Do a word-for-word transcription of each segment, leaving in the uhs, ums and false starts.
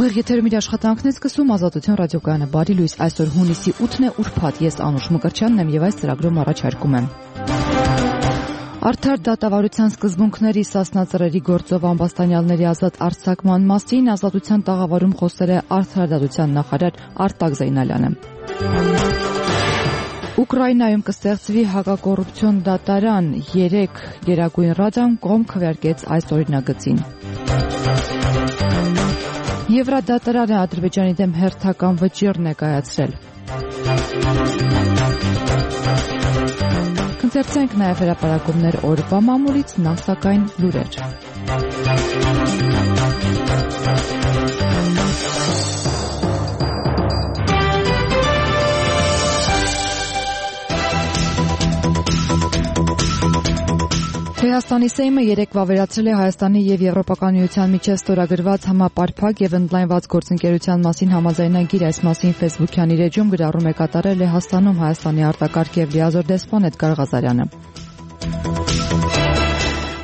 Ուղիղ եթերում իր աշխատանքն է սկսում Ազատություն ռադիոկայանը։ Բարի լույս, այսօր հունիսի ութն է, ուրբաթ, ես Անուշ Մկրտչյանն եմ եւ այս ծրագրում առաջարկում եմ Արդար դատավարության սկզբունքների Սասնա Ծռերի գործով ամբաստանյալների ազատ արձակման մասին Ազատության տաղավարում խոսել է Արդարադատության նախարար Արտակ Զեյնալյանը։ Ուկրաինայում կստեղծվի հակակոռուպցիոն դատարան, երեք Գերագույն ռադան կողմ քվեարկեց այս օրինագծին։ Եվրադատարանը Ադրբեջանի դեմ հերթական վճիռ ներկայացրել։ Կընթերցենք նաև հրապարակումներ օրվա մամուլից, նախ սակայն լուրեր։ Հայաստանի Սեյմը երեկ վավերացրել է Հայաստանի եւ Եվրոպական միության միջև ստորագրված համապարփակ եւ ընդլայնված գործընկերության մասին համաձայնագիր։ Այս մասին Facebook-յան իր էջում գրառում է կատարել Լեհաստանում Հայաստանի արտակարգ եւ լիազոր դեսպան Էդգար Ղազարյանը։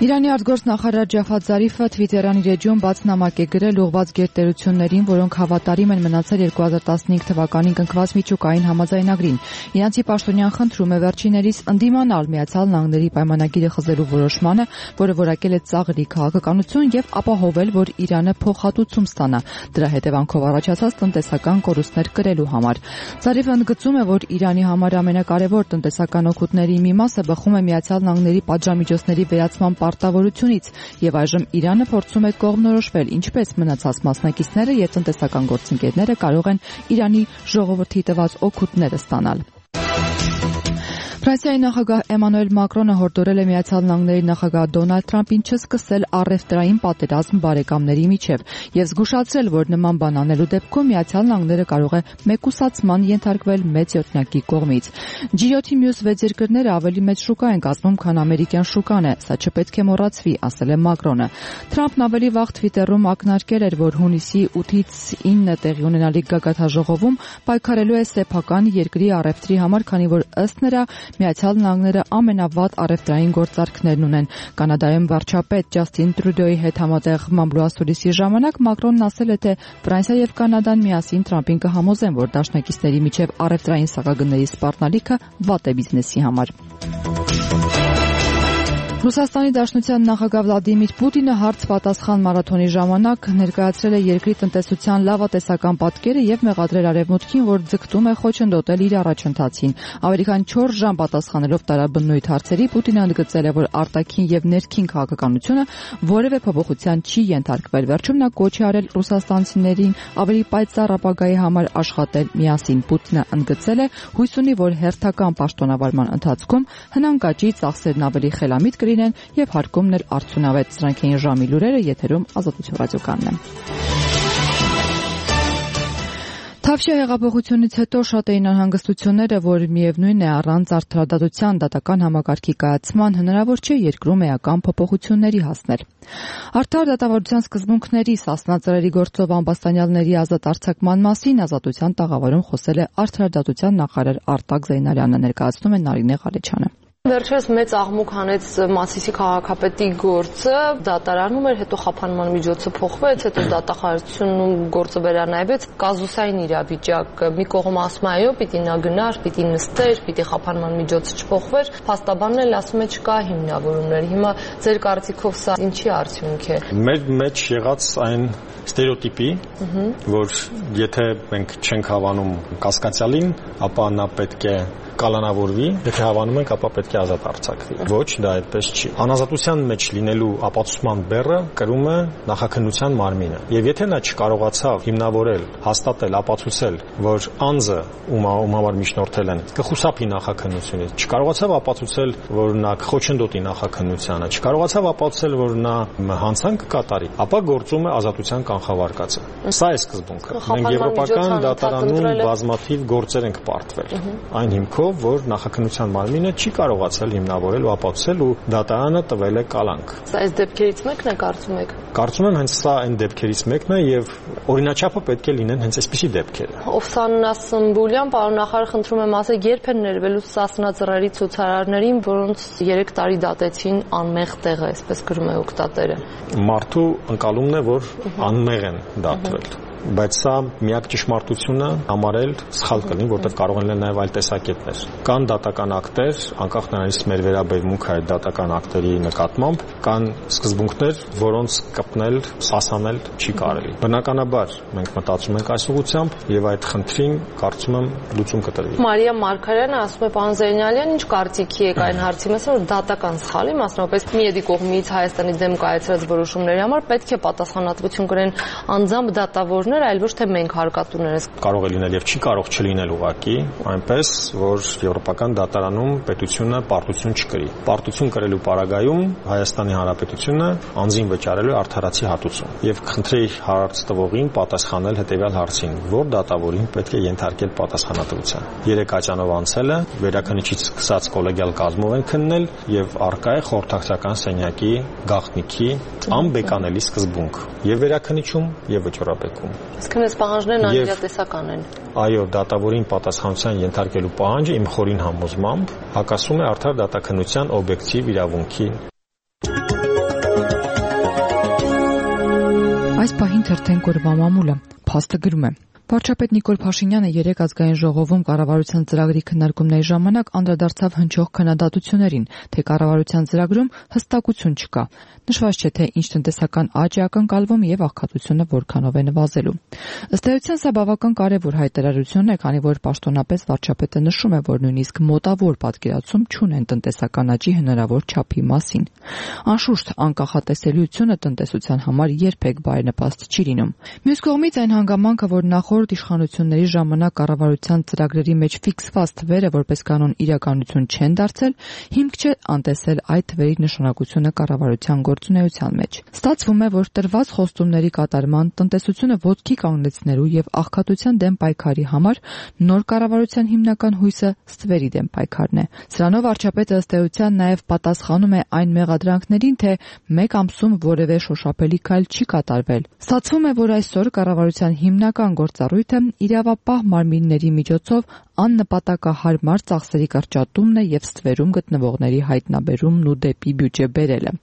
Իրանի արտգործնախարար Ջաֆար Զարիֆը Twitter-յան իր էջում բաց նամակ է գրել ուղղված գերտերություններին, որոնք հավատարիմ են մնացել երկու հազար տասնհինգ թվականին կնքված միջուկային համաձայնագրին։ Իրանցի պաշտոնյան խնդրում է վերջիներիս ընդդիմանալ Միացյալ Նահանգների պայմանագիրը խզելու որոշմանը, որը որակել է ծաղրի քաղաքականություն եւ ապահովել, որ Իրանը փոխհատուցում ստանա դրա հետևանքով առաջացած տնտեսական կորուստներ կրելու համար։ Զարիֆը ընդգծում է, որ Իրանի համար ամենակարևոր տնտեսական օգուտների մի մասը բխում է Միացյալ Նահանգների պատժամիջոցների վերացման պարտավորությունից եւ այժմ Իրանը փորձում է կողմնորոշվել, ինչպես մնացած մասնակիցները եւ տնտեսական գործընկերները կարող են Իրանի ժողովրդի տված օգուտները ստանալ։ Ֆրանսիայի նախագահ Էմանուել Մակրոնը հորդորել է Միացյալ Նահանգների նախագահ Դոնալդ Թրամփին չսկսել առևտրային պատերազմ բարեկամների միջև եւ զգուշացրել, որ նման բան անելու դեպքում Միացյալ Նահանգները կարող է մեկուսացման ենթարկվել մեծ յոթնյակի կողմից։ Ջի յոթի մյուս վեց երկրները ավելի մեծ շուկա են կազմում, քան ամերիկյան շուկան է, սա չպետք է մոռացվի, ասել է Մակրոնը։ Թրամփն ավելի վաղ Twitter-ում ակնարկել էր, որ հունիսի ութից ինը տեղի ունենալիք գագաթնաժողովում պայքարելու է սեփական երկրի առևտրի համար, քանի որ ըստ նրա Միացյալ Նահանգները ամենավատ առևտրային գործարքներն ունեն։ Կանադայում վարչապետ Ջասթին Տրյուդոյի հետ համատեղ մամլոասուլիսի ժամանակ Մակրոնն ասել է, թե Ֆրանսիա եւ Կանադան միասին Թրամփին կհամոզեն, որ դաշնակիցների միջև առևտրային սակագների սպառնալիքը վատ է բիզնեսի համար։ Ռուսաստանի Դաշնության նախագահ Վլադիմիր Պուտինը հարց-պատասխան մարաթոնի ժամանակ ներկայացրել է երկրի տնտեսության լավատեսական պատկերը եւ մեղադրել Արևմուտքին, որ ձգտում է խոչընդոտել իր առաջընթացին։ Ավելի քան չորս ժամ պատասխանելով տարաբնույթ հարցերի, Պուտինը ընդգծել է, որ արտաքին եւ ներքին քաղաքականությունը որևէ փոփոխության չի ենթարկվել։ Վերջում նա կոչ է արել ռուսաստանցիներին ավելի պայծառ ապագայի համար աշխատել միասին։ Պուտինը ընդգծել է, հույս ունի, որ հերթական պաշտոնավարման ընթացքում հնանկաճի ծախսերն ավելի խելամիտ կլինեն եւ հարկումն էլ արդյունավետ։ Սրանք էին ժամի լուրերը, եթերում Ազատություն ռադիոկայանն է։ Թավշյա հեղափոխությունից հետո շատ էին անհանգստությունները, որ միևնույն է առանց արդարադատության դատական համակարգի կայացման հնարավոր չէ երկրում էական փոփոխությունների հասնել։ Արդար դատավարության սկզբունքների Սասնա Ծռերի գործով ամբաստանյալների ազատ արձակման մասին Ազատության տաղավարում խոսել է Արդարադատության նախարար Արտակ Զեյնալյանը, ներկայացնում է Նարինե Ղալեչյանը։ Վերջերս մեծ աղմուկ հանեց Մասիսի քաղաքապետի գործը, դատարանում էր, հետո խափանման միջոցը փոխվեց, հետո դատախազությունում գործը վերանայվեց, կազուսային իրավիճակ։ Մի կողմ ասում է, այո, պիտի նա գնար, պիտի նստեր, պիտի խափանման միջոցը չփոխվեր, փաստաբանն էլ ասում է չկա հիմնավորումներ։ Հիմա ձեր կարծիքով սա ինչի արդյունք է։ Մեր մեջ եղած այն ստերեոտիպի, որ եթե մենք չենք հավանում կասկածյալին, ապա նա պետք է կալանավորվի, եթե հավանում ենք, ապա պետք է ազատ արձակվի։ Ոչ, դա այդպես չի։ Անազատության մեջ լինելու ապացուցման բեռը կրում է նախաքննության մարմինը։ Եվ եթե նա չկարողացավ հիմնավորել, հաստատել, ապացուցել, որ անձը, ում համար միջնորդել են, կխուսափի նախաքննությունից, չկարողացավ ապացուցել, որ նա կխոչընդոտի նախաքննությանը, չկարողացավ ապացուցել, որ նա հանցանք կկատարի, ապա գործում է ազատության կանխավարկածը։ Սա է սկզբունքը։ Մենք եվրոպական դատարանում բազմաթիվ գործեր ենք պարտվել։ Այն հիմքով, որ նախաքննության մարմինը չի կարողացել հիմնավորել ու ապացուցել ու դատարանը տվել է կալանք։ Սա այս դեպքերից մեկն է, կարծում եք։ Կարծում եմ հենց սա այն դեպքերից մեկն է եւ օրինաչափը պետք է լինեն հենց այսպիսի դեպքերը։ Օֆսաննա Սմբուլյան, պարոն նախարար, խնդրում եմ ասեք, երբ են ներվելու Սասնա Ծռերի ցուցարարներին, որոնց երեք տարի դատեցին անմեղ տեղը, այսպես գրում է օգտատերը։ Մարդու ընկալումն է, որ անմեղ են դատվել։ բայց սա միակ ճշմարտությունը համարել սխալ կլինի, որտեղ կարող են լինել նաև այլ տեսակետներ։ Կան դատական ակտեր, անկախ նրանից մեր վերաբերմունքը այդ դատական ակտերի նկատմամբ, կան սկզբունքներ, որոնց կպնել, սասանել չի կարելի։ Բնականաբար մենք մտածում ենք այս ուղղությամբ եւ այդ խնդրին կարծում եմ լուծում կտրվի։ Մարիա Մարգարյանը ասում է պարոն Զեյնալյան, ինչ կարծիքի եք այն հարցի մասին, որ դատական սխալի, մասնավորապես Միեդի կողմից Հայաստանի դեմ կայացրած որոշումների համար պետք է պատասխանատվություն կրեն անձամբ դատավորներ, այլ ոչ թե մենք հարկատուներս։ Կարող է լինել եւ չի կարող չլինել ուղղակի այնպես, որ Եվրոպական դատարանում պետությունը պարտություն չկրի։ Պարտություն կրելու պարագայում Հայաստանի Հանրապետությունը անձին վճարելու արդարացի հատուցում եւ խնդրի հարց տվողին պատասխանել հետեւյալ հարցին, որ դատավորին պետք է ենթարկել պատասխանատվության։ Երեք աջանով անցել է, վերաքննիչից սկսած կոլեգիալ կազմով են քննել եւ արկա է խորհրդակցական սենյակի գաղտնիքի անբեկանելի սկզբունք եւ վերաքննիչում եւ վճռապետում։ Իսկ այս պահանջներն անիրատեսական են։ Այո, դատավորին պատասխանության ենթարկելու պահանջը իմ խորին համոզմամբ հակասում է արդար դատաքննության օբյեկտիվ իրավունքին։ Այս պահին թերթեն կորվա մամուլը փաստը գրում է. Վարչապետ Նիկոլ Փաշինյանը երեք ազգային ժողովում կառավարության ծրագրի քննարկումների ժամանակ անդրադարձավ հնչող քննադատություններին, թե կառավարության ծրագրում հստակություն չկա։ Նշված չէ, թե ինչ տնտեսական աճ է ակնկալվում եւ աղքատությունը որքանով է նվազելու։ Ըստ էության սա բավական կարևոր հայտարարություն է, քանի որ պաշտոնապես վարչապետը նշում է, որ նույնիսկ մոտավոր պատկերացում չունեն տնտեսական աճի հնարավոր չափի մասին։ Անշուշտ անկախատեսելիությունը տնտեսության համար երբեք բարենպաստ չի լինում։ Մյուս կողմից այն հանգամանքը, որ նախորդ իշխանությունների ժամանակ կառավարության ծրագրերի մեջ ֆիքսված թվերը որպես կանոն իրականություն չեն դարձել, հիմք չէ անտեսել այդ թվերի նշանակությունը կառավարության գործունեության մեջ։ Ստացվում է, որ տրված խոստումների կատարման, տնտեսությունը ոտքի կանգնեցնելու եւ աղքատության դեմ պայքարի համար նոր կառավարության հիմնական հույսը ստվերի դեմ պայքարն է։ Սրանով վարչապետը ըստ էության նաեւ պատասխանում է այն մեղադրանքներին, թե մեկ ամսում որևէ շոշափելի քայլ չի կատարվել։ Ստացվում է, որ այսօր կառավարության հիմնական գործառույթը իրավապահ մարմինների միջոցով աննպատակահարմար ծախսերի կրճատումն է եւ ստվերում գտնվողների հայտնաբերումն ու դեպի բյուջե բերելը։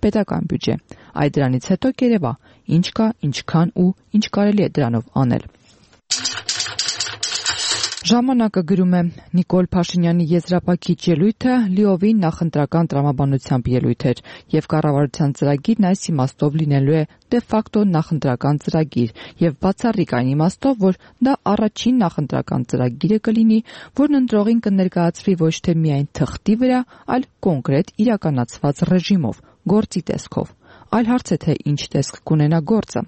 Պետական բյուջե։ Այդ դրանից հետո կերևա ինչ կա, ինչքան ու ինչ կարելի է դրանով անել։ Ժամանակը գրում է. Նիկոլ Փաշինյանի եզրափակիչ ելույթը լիովին նախընտրական տրամաբանությամբ ելույթ էր եւ կառավարության ծրագիրն այս իմաստով լինելու է դե ֆակտո նախընտրական ծրագիր եւ բացառիկ այն իմաստով, որ դա առաջին նախընտրական ծրագիրը կլինի, որն ընտրողին կներկայացվի ոչ թե միայն թղթի վրա, այլ կոնկրետ իրականացված ռեժիմով, գործի տեսքով։ Այլ հարց է, թե ինչ տեսք կունենա գործը։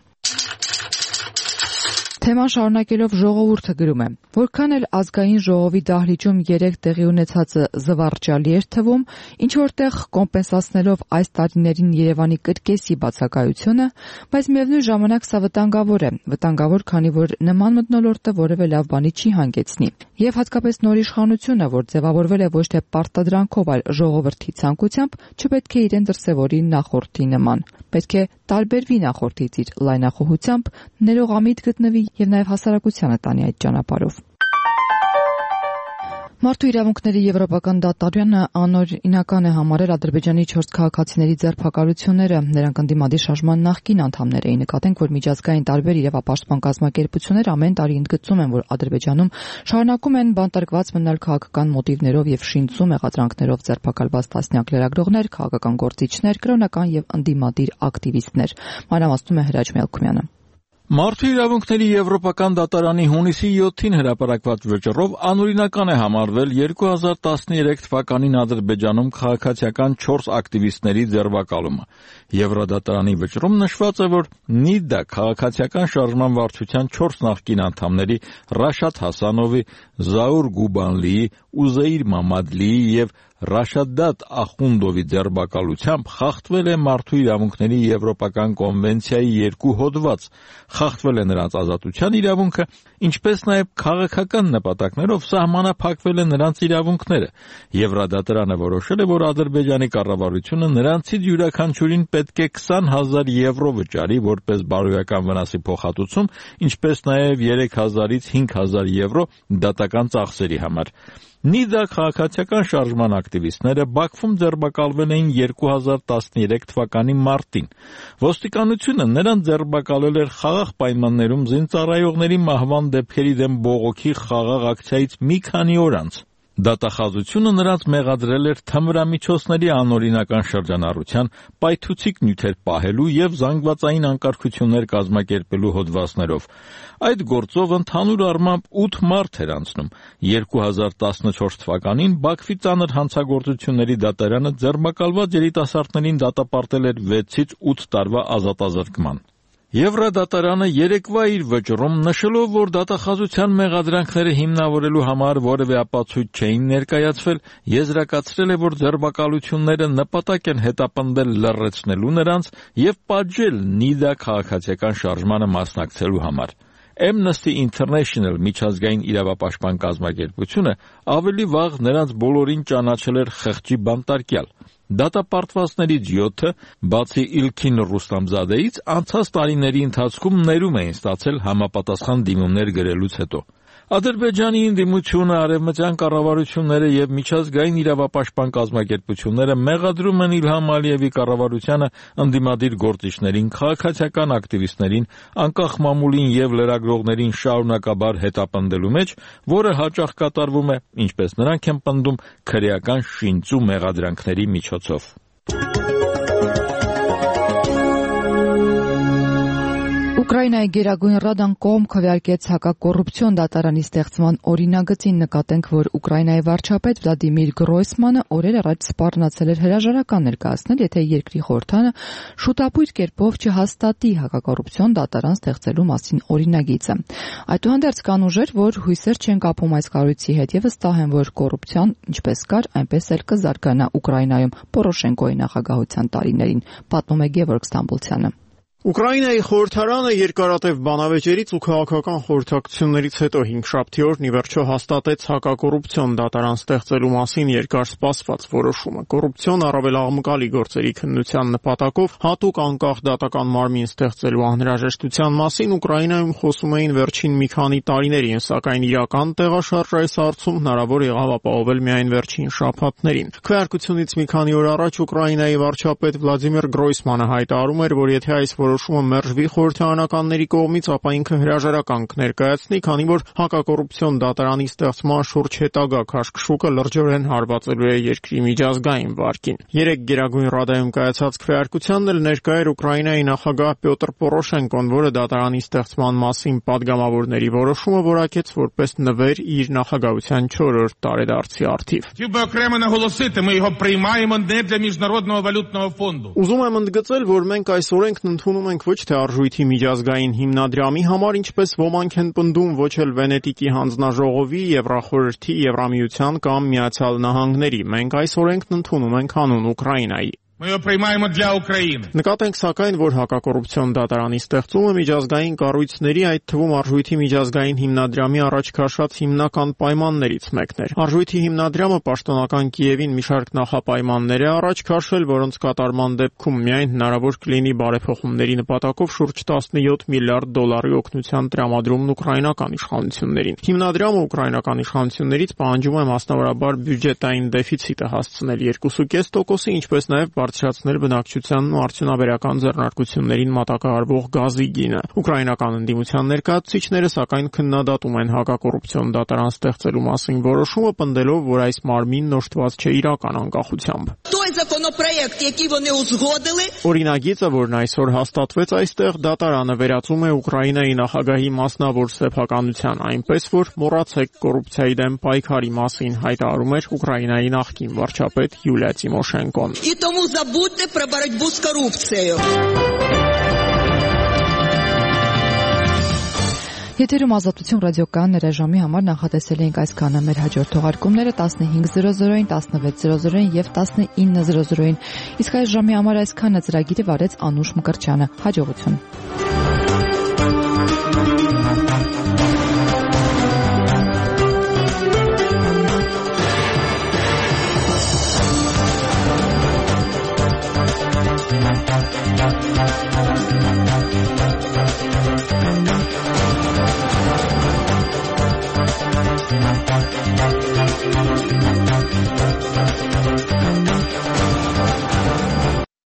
Թեման շարունակելով ժողովուրդը գրում է. Որքան էլ ազգային ժողովի դահլիճում երեք տեղի ունեցածը զվարճալի էր թվում, ինչ որտեղ կոմպենսացնելով այս տարիներին Երևանի կրկեսի բացակայությունը, բայց միևնույն ժամանակ սա վտանգավոր է, վտանգավոր, քանի որ նման մթնոլորտը որևէ լավ բանի չի հանգեցնի։ Եվ հատկապես նոր իշխանությունը, որ ձևավորվել է ոչ թե պարտադրանքով, այլ ժողովրդի ցանկությամբ, չպետք է իրեն դրսևորի նախորդի նման։ Պետք է տարբերվի նախորդից իր լայնախոհությամբ, ներողամիտ գտնվի եւ նաեւ հասարակությանը տանի այդ ճանապարհով։ Մարդու իրավունքների եվրոպական դատարանը անօրինական է համարել Ադրբեջանի չորս քաղաքացիների ձերբակալությունները, նրանք ընդդիմադիր շարժման նախկին անդամներ էին։ Նկատենք, որ միջազգային տարբեր իրավապաշտպան կազմակերպություններ ամեն տարի ընդգծում են, որ Ադրբեջանում շարունակում են բանտարկված մնալ քաղաքական մոտիվներով եւ շինծու մեղադրանքներով ձերբակալված տասնյակ լրագրողներ, քաղաքական գործիչներ, կրոնական եւ ընդդիմադիր ակտիվիստներ։ Մանրամասնում է Հրաչ Մելքումյանը։ Մարդու իրավունքների եվրոպական դատարանի հունիսի յոթին հրապարակված վճռով անօրինական է համարվել երկու հազար տասներեք թվականին Ադրբեջանում քաղաքացիական չորս ակտիվիստների ձերբակալումը։ Եվրոդատարանի վճռում նշված է, որ Նիդա քաղաքացիական շարժման վարչության չորս նախկին անդամների Ռաշադ Հասանովի, Զաուր Գուբանլիի, Ուզեիր Մամադլիի եւ Ռաշադատ Ախունդովի ձերբակալությամբ խախտվել է Մարդու իրավունքների եվրոպական կոնվենցիայի երկու հոդված, խախտվել է նրանց ազատության իրավունքը, ինչպես նաև քաղաքական նպատակներով սահմանափակվել է նրանց իրավունքները։ Եվրոդատարանը որոշել է, որ Ադրբեջանի կառավարությունը նրանցից յուրաքանչյուրին պետք է քսան հազար եվրո վճարի որպես բարոյական վնասի փոխհատուցում, ինչպես նաև երեք հազարից հինգ հազար եվրո դատական ծախսերի համար։ Նիդա քաղաքացիական շարժման ակտիվիստները Բաքվում ձերբակալվել էին երկու հազար տասներեք թվականի մարտին։ Ոստիկանությունը նրանց ձերբակալել էր խաղաղ պայմաններում զինծառայողների մահվան դեպքերի դեմ բողոքի խաղաղ ակցիայից մի քանի օր անց։ Դատախազությունը նրանց մեղադրել էր թմրամիջոցների անօրինական շրջանառության, պայթուցիկ նյութեր պահելու և զանգվածային անկարգություններ կազմակերպելու հոդվածներով։ Այդ գործով ընդհանուր առմամբ ութ մարդ էր անցնում։ երկու հազար տասնչորս թվականին Բաքվի ծանր հանցագործությունների դատարանը ձերբակալված երիտասարդներին դատապարտել էր վեցից ութ տարվա ազատազրկման։ Եվրադատարանը երեկվա իր վճռում նշելով, որ դատախազության մեղադրանքները հիմնավորելու համար որևէ ապացույց չէին ներկայացվել, եզրակացրել է, որ ձերբակալությունները նպատակ են հետապնդել լռեցնելու նրանց և պատժել Նիդա քաղաքացիական շարժմանը մասնակցելու համար։ Amnesty International միջազգային իրավապաշտպան կազմակերպությունը ավելի վաղ նրանց բոլորին ճանաչել էր խղճի բանտարկյալ։ Դատապարտվածներից յոթը, բացի Իլքին Ռուստամզադեից, անցած տարիների ընթացքում ներում էին ստացել համապատասխան դիմումներ գրելուց հետո։ Ադրբեջանի ընդդիմությունը, արևմտյան կառավարությունները և միջազգային իրավապաշտպան կազմակերպությունները մեղադրում են Իլհամ Ալիևի կառավարությանը ընդդիմադիր գործիչներին, քաղաքացիական ակտիվիստներին, անկախ մամուլին և լրագրողներին շարունակաբար հետապնդելու մեջ, որը հաճախ կատարվում է, ինչպես նրանք են պնդում, քրեական շինծու մեղադրանքների միջոցով։ Ուկրաինայի Գերագույն Ռադան կողմ քվեարկեց հակակոռուպցիոն դատարանի ստեղծման օրինագծին, նկատենք, որ Ուկրաինայի վարչապետ Վլադիմիր Գրոյսմանը օրեր առաջ սպառնացել էր հրաժարական ներկայացնել, եթե երկրի խորհրդարանը շուտապույտ կերպով չհաստատի հակակոռուպցիոն դատարան ստեղծելու մասին օրինագիծը։ Այդուհանդերձ կան ուժեր, որ հույսեր չեն կապում այս կառույցի հետ և վստահ են, որ կոռուպցիան ինչպես կար, այնպես էլ կզարգանա Ուկրաինայում Պորոշենկոյի նախագահության տարիներին, պատմում է Գևորգ Ստամբոլցյանը։ Ուկրաինայի խորհրդարանը երկարատև բանավեճերից ու քաղաքական խորհրդակցություններից հետո հինգշաբթի օրն ի վերջո հաստատեց հակակոռուպցիոն դատարան ստեղծելու մասին երկար սպասված որոշումը։ Կոռուպցիոն առավել աղմկալի գործերի քննության նպատակով հատուկ անկախ դատական մարմին ստեղծելու անհրաժեշտության մասին Ուկրաինայում խոսում էին վերջին մի քանի տարիներին, սակայն իրական տեղաշարժ այս հարցում հնարավոր եղավ ապահովել միայն վերջին շաբաթներին։ Քվեարկությունից մի քանի օր առաջ Ուկրաինայի վարչապետ Վլադիմիր Գրոյսմանը հայտարարում էր, որ եթե այս որոշումը մերժվի խորհրդարանականների կողմից, ապա ինքը հրաժարական կներկայացնի, քանի որ հակակոռուպցիոն դատարանի ստեղծման շուրջ հետագա քաշքշուկը լրջորեն հարվածելու է երկրի միջազգային վարկին։ Երեկ Գերագույն Ռադայում կայացած քվեարկությանն էլ ներկա էր Ուկրաինայի նախագահ Պյոտր Պորոշենկոն, որը դատարանի ստեղծման մասին падգամավորների որոշումը որակեց որպես նվեր իր նախագահության չորրորդ տարեդարձի առթիվ։ Ուզում եմ ընդգծել, որ մենք այս օրենքն ընդունում ենք ոչ թե արժույթի միջազգային հիմնադրամի համար, ինչպես ոմանք են պնդում, ոչ էլ Վենետիկի հանձնաժողովի, Եվրախորհրդի, Եվրամիության կամ Միացյալ Նահանգների։ Մենք այս օրենքն ընդունում ենք հանուն Ուկրաինայի։ Նկատենք սակայն, որ հակակոռուպցիոն դատարանի ստեղծումը միջազգային կառույցների, այդ թվում արժույթի միջազգային հիմնադրամի առաջ քաշած հիմնական պայմաններից մեկն էր։ Արժույթի հիմնադրամը պաշտոնական Կիևին մի շարք նախապայմաններ է առաջ քաշել, որոնց կատարման դեպքում միայն հնարավոր կլինի բարեփոխումների նպատակով շուրջ տասնյոթ միլիարդ դոլարի օգնության տրամադրումն ուկրաինական իշխանություններին։ Հիմնադրամը ուկրաինական իշխանություններից պահանջում է մասնավորաբար բյուջետային դեֆիցիտը հասցնել երկու կoma պենս տոկոսի, ինչպես նաև բարձրացնել բնակչությանն ու արդյունաբերական ձեռնարկություններին մատակարարվող գազի գինը։ Ուկրաինական ընդդիմության ներկայացուցիչները սակայն քննադատում են հակակոռուպցիոն դատարան ստեղծելու մասին որոշումը, պնդելով, որ այս մարմինն օժտված չէ իրական անկախությամբ։ Օրինագիծը, որն այսօր հաստատվեց այստեղ, դատարանը վերածում է Ուկրաինայի նախագահի մասնավոր սեփականության, այնպես որ մոռացեք կոռուպցիայի դեմ պայքարի մասին, հայտարարում էր Ուկրաինայի նախկին վարչապետ Յուլիա Տիմոշենկոն։ Забудьте про борьбу с коррупцией. Եթերում Ազատություն ռադիոկայան ռեժիմի համար նախատեսել էինք այսքանը, մեր հաջորդ թողարկումները տասնհինգ զրո զրոին, տասնվեց զրո զրոին եւ տասնինը զրո զրոին։ Իսկ այս ժամի համար այսքանը ծրագիրը վարեց Անուշ Մկրտչյանը։ Հաջողություն։ We'll be right back.